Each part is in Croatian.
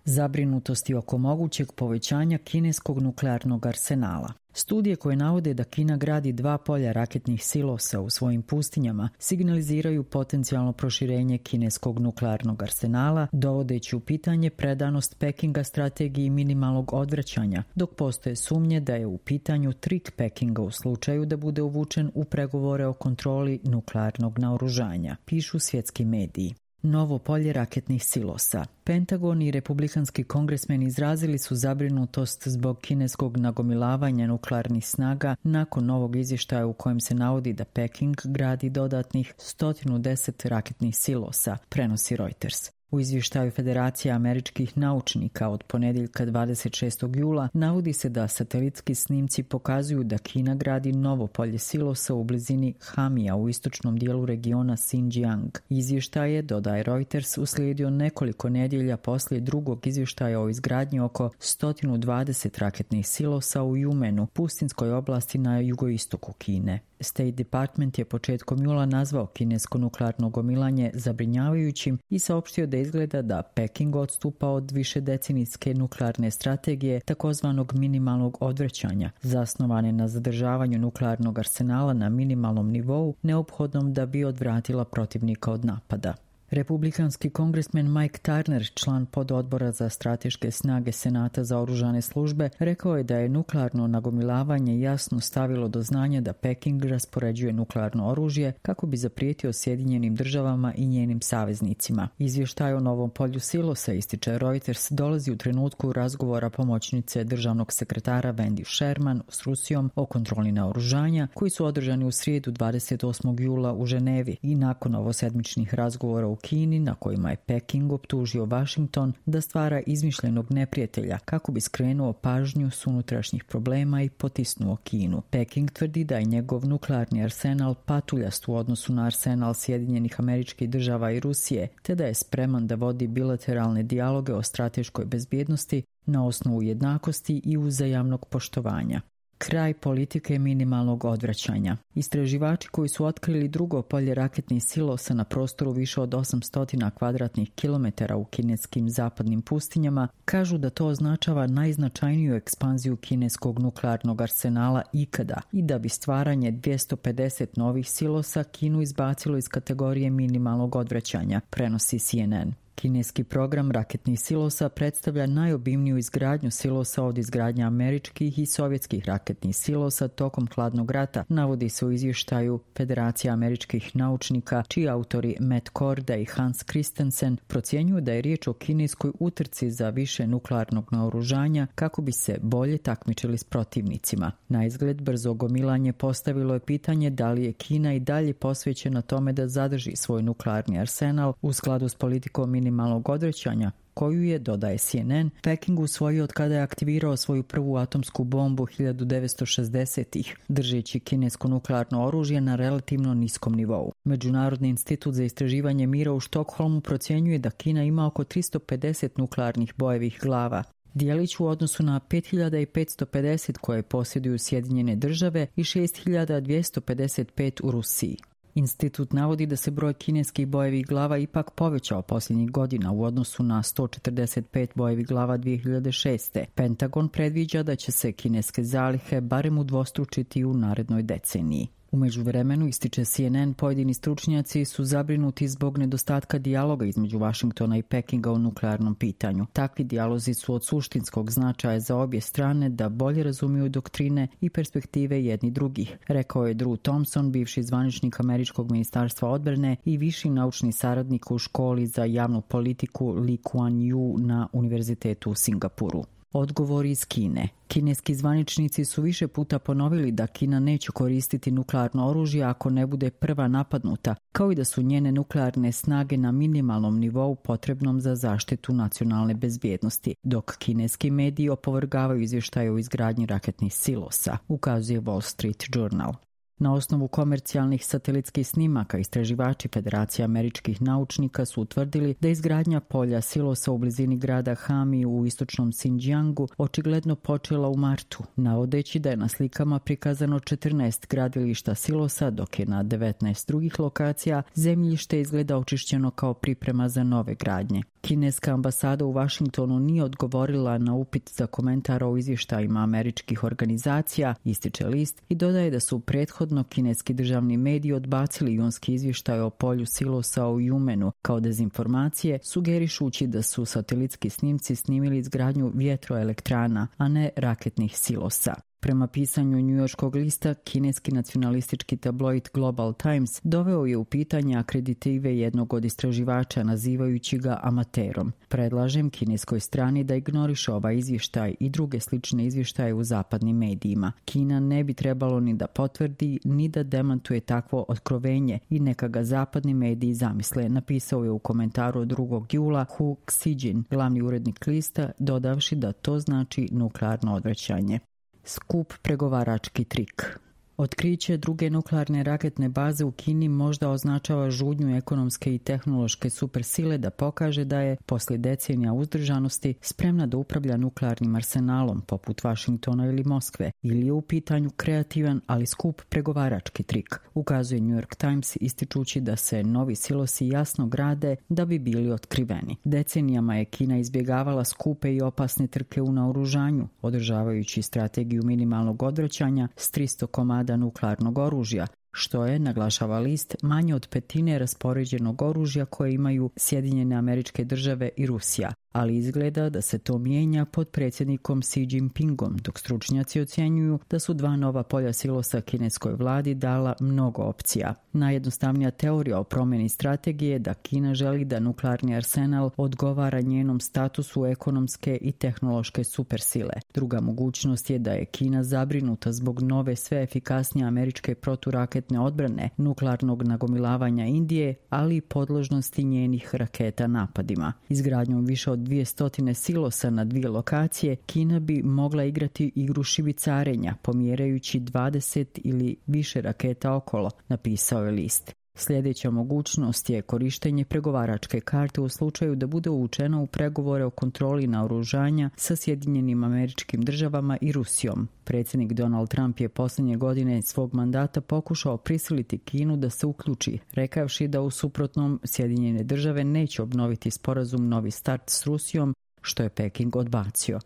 Zabrinutosti oko mogućeg povećanja kineskog nuklearnog arsenala. Studije koje navode da Kina gradi 2 polja raketnih silosa u svojim pustinjama signaliziraju potencijalno proširenje kineskog nuklearnog arsenala, dovodeći u pitanje predanost Pekinga strategiji minimalnog odvraćanja, dok postoje sumnje da je u pitanju trik Pekinga u slučaju da bude uvučen u pregovore o kontroli nuklearnog naoružanja, pišu svjetski mediji. Novo polje raketnih silosa. Pentagon i republikanski kongresmeni izrazili su zabrinutost zbog kineskog nagomilavanja nuklearnih snaga nakon novog izvještaja u kojem se navodi da Peking gradi dodatnih 110 raketnih silosa, prenosi Reuters. U izvještaju Federacije američkih naučnika od ponedjeljka 26. jula navodi se da satelitski snimci pokazuju da Kina gradi novo polje silosa u blizini Hamija u istočnom dijelu regiona Xinjiang. Izvještaj je, dodaje Reuters, uslijedio nekoliko nedjelja poslije drugog izvještaja o izgradnji oko 120 raketnih silosa u Jumenu, pustinskoj oblasti na jugoistoku Kine. State Department je početkom jula nazvao kinesko nuklearno gomilanje zabrinjavajućim i saopštio da izgleda da Peking odstupa od višedecenijske nuklearne strategije takozvanog minimalnog odvraćanja, zasnovane na zadržavanju nuklearnog arsenala na minimalnom nivou, neophodnom da bi odvratila protivnika od napada. Republikanski kongresmen Mike Turner, član pododbora za strateške snage Senata za oružane službe, rekao je da je nuklearno nagomilavanje jasno stavilo do znanja da Peking raspoređuje nuklearno oružje kako bi zaprijetio Sjedinjenim državama i njenim saveznicima. Izvještaj o novom polju silosa, ističe Reuters, dolazi u trenutku razgovora pomoćnice državnog sekretara Wendy Sherman s Rusijom o kontroli naoružanja, koji su održani u srijedu 28. jula u Ženevi i nakon ovosedmičnih razgovora u Kini na kojima je Peking optužio Washington da stvara izmišljenog neprijatelja kako bi skrenuo pažnju s unutrašnjih problema i potisnuo Kinu. Peking tvrdi da je njegov nuklearni arsenal patuljast u odnosu na arsenal Sjedinjenih Američkih Država i Rusije, te da je spreman da vodi bilateralne dijaloge o strateškoj bezbjednosti na osnovu jednakosti i uzajamnog poštovanja. Kraj politike minimalnog odvraćanja. Istraživači koji su otkrili drugo polje raketnih silosa na prostoru više od 800 kvadratnih kilometara u kineskim zapadnim pustinjama kažu da to označava najznačajniju ekspanziju kineskog nuklearnog arsenala ikada i da bi stvaranje 250 novih silosa Kinu izbacilo iz kategorije minimalnog odvraćanja, prenosi CNN. Kineski program raketnih silosa predstavlja najobimniju izgradnju silosa od izgradnje američkih i sovjetskih raketnih silosa tokom hladnog rata, navodi se u izvještaju Federacije američkih naučnika, čiji autori Matt Korda i Hans Christensen procjenjuju da je riječ o kineskoj utrci za više nuklearnog naoružanja kako bi se bolje takmičili s protivnicima. Na izgled brzo gomilanje postavilo je pitanje da li je Kina i dalje posvećena tome da zadrži svoj nuklearni arsenal u skladu s politikom minimalnog odvraćanja, koju je, dodaje CNN, Peking usvojio od kada je aktivirao svoju prvu atomsku bombu 1960-ih, držeći kinesko nuklearno oružje na relativno niskom nivou. Međunarodni institut za istraživanje mira u Štokholmu procjenjuje da Kina ima oko 350 nuklearnih bojevih glava, dijelić u odnosu na 5550 koje posjeduju Sjedinjene države i 6255 u Rusiji. Institut navodi da se broj kineskih bojevih glava ipak povećao posljednjih godina u odnosu na 145 bojevih glava 2006. Pentagon predviđa da će se kineske zalihe barem udvostručiti u narednoj deceniji. U međuvremenu, ističe CNN, pojedini stručnjaci su zabrinuti zbog nedostatka dijaloga između Washingtona i Pekinga o nuklearnom pitanju. Takvi dijalozi su od suštinskog značaja za obje strane da bolje razumiju doktrine i perspektive jedni drugih, rekao je Drew Thompson, bivši zvaničnik Američkog ministarstva odbrane i viši naučni saradnik u školi za javnu politiku Lee Kuan Yew na Univerzitetu u Singapuru. Odgovor iz Kine. Kineski zvaničnici su više puta ponovili da Kina neće koristiti nuklearno oružje ako ne bude prva napadnuta, kao i da su njene nuklearne snage na minimalnom nivou potrebnom za zaštitu nacionalne bezbjednosti, dok kineski mediji opovrgavaju izvještaje o izgradnji raketnih silosa, ukazuje Wall Street Journal. Na osnovu komercijalnih satelitskih snimaka istraživači Federacije američkih naučnika su utvrdili da izgradnja polja silosa u blizini grada Hami u istočnom Xinjiangu očigledno počela u martu, navodeći da je na slikama prikazano 14 gradilišta silosa, dok je na 19 drugih lokacija zemljište izgleda očišćeno kao priprema za nove gradnje. Kineska ambasada u Vašingtonu nije odgovorila na upit za komentar o izvještajima američkih organizacija, ističe list, i dodaje da su prethodno kineski državni mediji odbacili junski izvještaj o polju silosa u Jumenu kao dezinformacije, sugerišući da su satelitski snimci snimili izgradnju vjetroelektrana, a ne raketnih silosa. Prema pisanju njujorškog lista, kineski nacionalistički tabloid Global Times doveo je u pitanje akreditive jednog od istraživača nazivajući ga amaterom. Predlažem kineskoj strani da ignoriše ovaj izvještaj i druge slične izvještaje u zapadnim medijima. Kina ne bi trebalo ni da potvrdi, ni da demantuje takvo otkrovenje i neka ga zapadni mediji zamisle, napisao je u komentaru od 2. jula Hu Xijin, glavni urednik lista, dodavši da to znači nuklearno odvraćanje. Skup pregovarački trik. Otkriće druge nuklearne raketne baze u Kini možda označava žudnju ekonomske i tehnološke supersile da pokaže da je, poslije decenija uzdržanosti, spremna da upravlja nuklearnim arsenalom poput Vašingtona ili Moskve, ili je u pitanju kreativan, ali skup pregovarački trik, ukazuje New York Times ističući da se novi silosi jasno grade da bi bili otkriveni. Decenijama je Kina izbjegavala skupe i opasne trke u naoružanju, održavajući strategiju minimalnog odvraćanja s 300 komada nuklearnog oružja, što je, naglašava list, manje od petine raspoređenog oružja koje imaju Sjedinjene Američke Države i Rusija, ali izgleda da se to mijenja pod predsjednikom Xi Jinpingom, dok stručnjaci ocjenjuju da su 2 nova polja silosa kineskoj vladi dala mnogo opcija. Najjednostavnija teorija o promjeni strategije je da Kina želi da nuklearni arsenal odgovara njenom statusu ekonomske i tehnološke supersile. Druga mogućnost je da je Kina zabrinuta zbog nove sve efikasnije američke proturaketne odbrane, nuklearnog nagomilavanja Indije, ali i podložnosti njenih raketa napadima. Izgradnjom više od 200 silosa na 2 lokacije, Kina bi mogla igrati igru šibicarenja, pomjerajući 20 ili više raketa okolo, napisao je list. Sljedeća mogućnost je korištenje pregovaračke karte u slučaju da bude uvučeno u pregovore o kontroli naoružanja sa Sjedinjenim Američkim Državama i Rusijom. Predsjednik Donald Trump je posljednje godine svog mandata pokušao prisiliti Kinu da se uključi, rekavši da u suprotnom Sjedinjene Države neće obnoviti sporazum Novi start s Rusijom, što je Peking odbacio.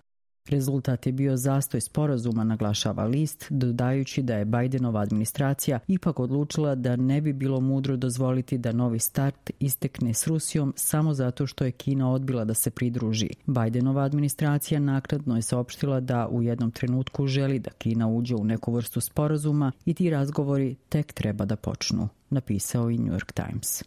Rezultat je bio zastoj sporazuma, naglašava list, dodajući da je Bidenova administracija ipak odlučila da ne bi bilo mudro dozvoliti da Novi start istekne s Rusijom samo zato što je Kina odbila da se pridruži. Bidenova administracija naknadno je saopštila da u jednom trenutku želi da Kina uđe u neku vrstu sporazuma i ti razgovori tek treba da počnu, napisao i New York Times.